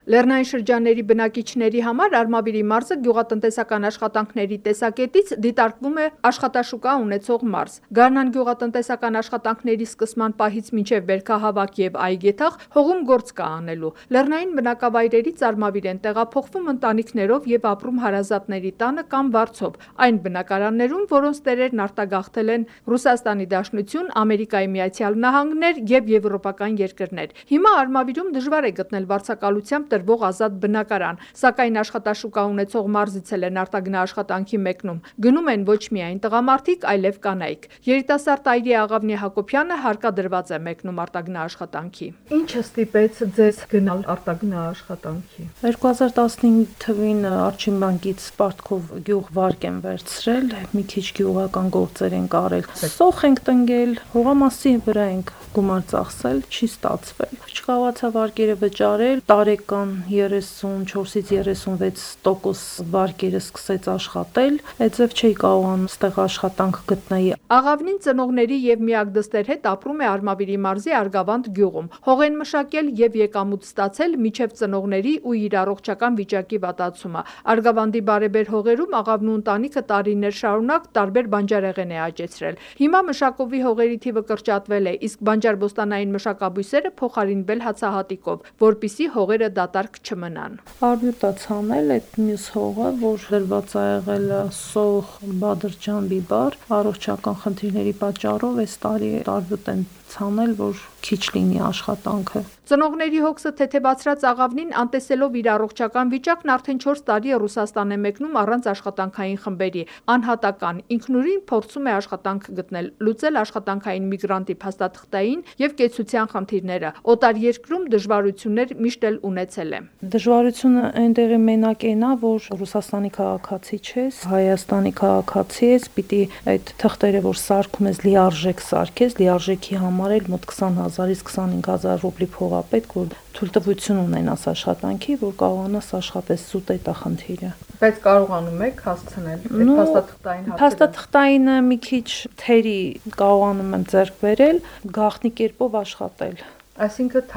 Լեռնային շրջանների բնակիչների համար Արմավիրի մարզը գյուղատնտեսական աշխատանքների տեսակետից դիտարկվում է աշխատաշուկա ունեցող մարզ։ Գարնան գյուղատնտեսական աշխատանքների սկսման պահից մինչև բերքահավաք եւ այգեթաղ հողում գործ կա անելու։ Լեռնային բնակավայրերից Արմավիր են տեղափոխվում ընտանիքներով եւ ապրում հարազատների տանը կամ վարձով, այն բնակարաններում, որոնց տերերն արտագաղթել են Ռուսաստանի Դաշնություն, Ամերիկայի Միացյալ Նահանգներ եւ եվրոպական երկրներ։ Հիմա Արմավիրում դժվար է գտնել վարձակալությամբ տրվող ազատ բնակարան, սակայն աշխատաշուկա ունեցող մարզից են արտագնա աշխատանքի մեկնում։ Գնում են ոչ միայն տղամարդիկ, այլև կանայք։ Երիտասարդ Այրի Աղավնի Հակոբյանը հարկադրված է մեկնում արտագնա աշխատանքի։ Ինչը ստիպեց ձեզ գնալ արտագնա աշխատանքի։ 2015 թվին Արջին բանկից պարտքով գյուղ վարկ են վերցրել, մի քիչ գյուղական գործեր են կարել։ Սոխ ենք տնկել, հողամասի վրա ենք գումար ծախսել, չի ստացվել։ Չկարողացա վարկերը վճարել, տարեկան 34-ից 36% վարկերը սկսեց աշխատել, այդպես չի կարողանում ստեղ աշխատանք գտնել։ Աղավնին ծնողների եւ միակ դստեր հետ ապրում է Արմավիրի մարզի Արգավանդ գյուղում։ Հող են մշակել եւ եկամուտ ստացել միջև ծնողների ու իր առողջական վիճակի վատացումը։ Արգավանդի բարեբեր հողերում Աղավնու ընտանիքը տարիներ շարունակ տարբեր բանջարեղեն է աճեցրել։ Հիմա մշակովի հողերի թիվը կրճատվել է, իսկ բանջարբոստանային մշակաբույսերը փոխարինվել հացահատիկով, որպիսի հողերը դատարկ չմնան։ Արբյուտ է ցանել այդ մյուս հողը, որ դրված է եղել սոխ, բադրջան, բիբար, առողջական խնդիրների պատճառով այս տարի արբյուտ են ցանել, որ քիչ լինի աշխատանքը։ Ծնողների հոգսը թեթևացրած Աղավնին անտեսելով իր առողջական վիճակն արդեն 4 տարի է Ռուսաստան է մեկնում առանց աշխատանքային խմբերի։ Անհատական ինքնուրույն փորձում է աշխատանք գտնել, լուծել աշխատանքային միգրանտի փաստաթղթային եւ կեցության խնդիրները։ Օտար երկրում դժվարություններ միշտ էլ ունեցել է։ Դժվարությունը այնտեղի մենակ էնա, որ Ռուսաստանի քաղաքացի չես, Հայաստանի քաղաքացի ես, պիտի այդ թղթերը, որ սարքում ես, լիարժեք սարքես, լիարժեքի համար էլ մոտ 20,000-ից 25,000 ռուբլի փող է պետք, որ թույլտվություն ունենաս աշխատանքի, որ կարողանաս աշխատես, սուտ է խնդիրը։ Բայց կարողանում եք հասցնել այդ փաստաթղթային հարցերը։ Փաստաթղթայինը մի քիչ թերի կարողանում եմ ձեռք բերել, գաղտնի կերպով աշխատել։ Այսինքն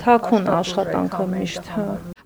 թաքուն աշխատանքը միշտ։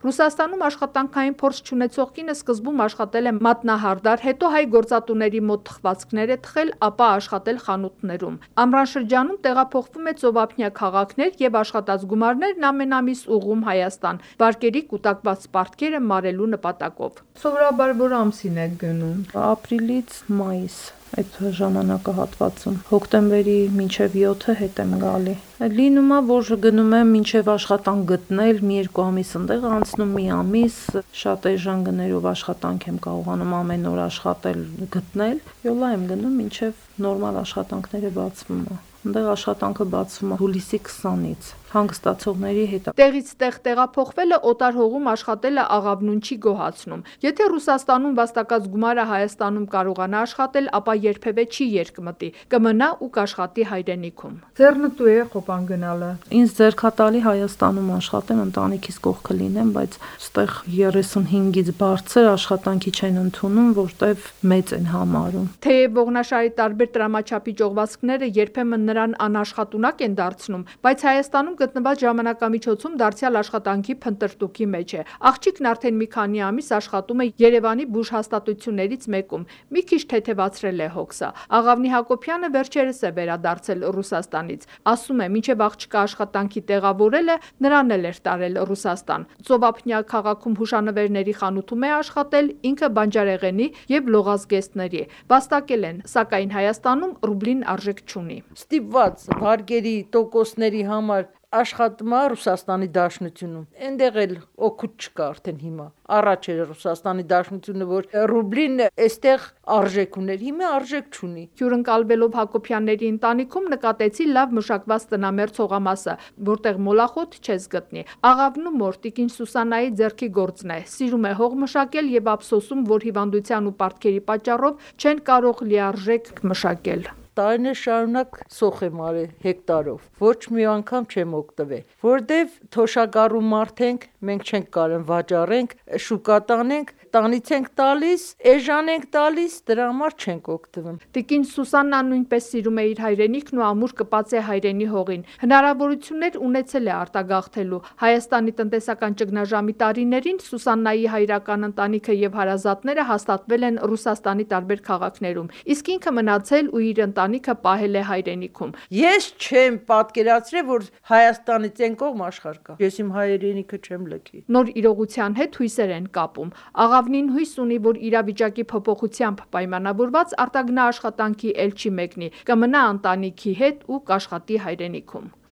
Ռուսաստանում աշխատանքային փորձ չունեցող կինը սկզբում աշխատել է մատնահարդար, հետո հայ գործատուների մոտ թխվածքներ է թխել, ապա աշխատել խանութներում։ Ամռան շրջանում տեղափոխվում է ծովափնյա քաղաքներ եւ աշխատած գումարներն ամեն ամիս ուղղում Հայաստան, վարկերի կուտակված պարտքերը մարելու նպատակով։ Սովորաբար որ ամսին եք գնում։ Ապրիլից մայիս այդ ժամանակահատվածում, հոկտեմբերի մինչև 7-ը հետ եմ գալի։ Լինում է, որ գնում եմ մինչև աշխատանք գտնել, մի երկու ամիս ընդեղ անցնում, մի ամիս, շատ էժան գներով աշխատանք եմ կարողանում ամեն օր աշխատել, գտնել, յոլա եմ գնում մինչև նորմալ աշխատանքները բացվում է։ Ընդեղ աշխատանքը բացվում է հուլիսի 20-ից հանգստացողների հետ։ Տեղից տեղ տեղափոխվելը օտար հողում աշխատելը Աղավնուն չի գոհացնում։ Եթե Ռուսաստանում վաստակած գումարը Հայաստանում կարողանա աշխատել, ապա երբևէ չի երկմտի, կմնա ու կաշխատի հայրենիքում։ Ձեռնտու է Խոպան գնալը։ Ինձ ձեռքատալի Հայաստանում աշխատեմ, ընտանիքիս կողքը լինեմ, բայց ստեղ 35-ից բարձր աշխատանքի չեն ընդունում, որտեվ մեծ են համարում։ Թեև ողնաշարի տարբեր տրամաչափի ճողվածքները երբեմն նրան անաշխատունակ են դարձնում, բայց Հայաստանում գտնված ժամանակամիջոցում դարձյալ աշխատանքի փնտրտուքի մեջ է։ Աղջիկն արդեն մի քանի ամիս աշխատում է Երևանի բուժհաստատություններից մեկում, մի քիչ թեթևացրել է հոգսը։ Աղավնի Հակոբյանը վերջերս է վերադարձել Ռուսաստանից։ Ասում է, մինչև աղջկա աշխատանքի տեղավորելը նրան էլ էր տարել Ռուսաստան։ Ծովափնյա քաղաքում հուշանվերների խանութում է աշխատել, ինքը բանջարեղենի եւ լողազգեստների։ Վաստակել են, սակայն Հայաստանում ռուբլին արժեք չունի։ Ստիպված վարկերի տոկոսների համար աշխատում է Ռուսաստանի Դաշնությունում։ Այնտեղ էլ օգուտ չկա արդեն հիմա։ Առաջ էր Ռուսաստանի Դաշնությունը, որ ռուբլին այստեղ արժեք ուներ, հիմա արժեք չունի։ Հյուրընկալվելով Հակոբյանների ընտանիքում նկատեցի լավ մշակված տնամերձ հողամասը, որտեղ մոլախոտ չես գտնի։ Աղավնու մոր տիկին Սուսանայի ձեռքի գործն է։ Սիրում է հող մշակել եւ ափսոսում, որ հիվանդության ու պարտքերի պատճառով չեն կարող լիարժեք մշակել։ Տարիներ շարունակ սոխ եմ արել հեկտարով, ոչ մի անգամ չեմ օգտվել, որտեվ թոշակառու մարդ ենք, մենք չենք կարող վաճառենք, շուկա տանենք, տանից ենք տալիս, էժան ենք տալիս, դրա համար չենք օգտվում։ Տիկին Սուսաննան նույնպես սիրում է իր հայրենիքն ու ամուր կպած է հայրենի հողին։ Հնարավորություններ ունեցել է արտագաղթելու։ Հայաստանի տնտեսական ճգնաժամի տարիներին Սուսաննայի հայրական ընտանիքը եւ հարազատները հաստատվել են Ռուսաստանի տարբեր քաղաքներում, իսկ ինքը մնացել ու իր ընտանիքը պահել է հայրենիքում։ Ես չեմ պատկերացրել, որ Հայաստանից այն կողմ աշխարհ կա։ Ես իմ հայրենիքը չեմ լքի։ Նոր իրողության հետ հույսեր են կապում։ Աղավնին հույս ունի, որ իրավիճակի փոփոխությամբ պայմանավորված արտագնա աշխատանքի էլ չի մեկնի, կմնա ընտանիքի հետ ու կաշխատի հայրենիքում։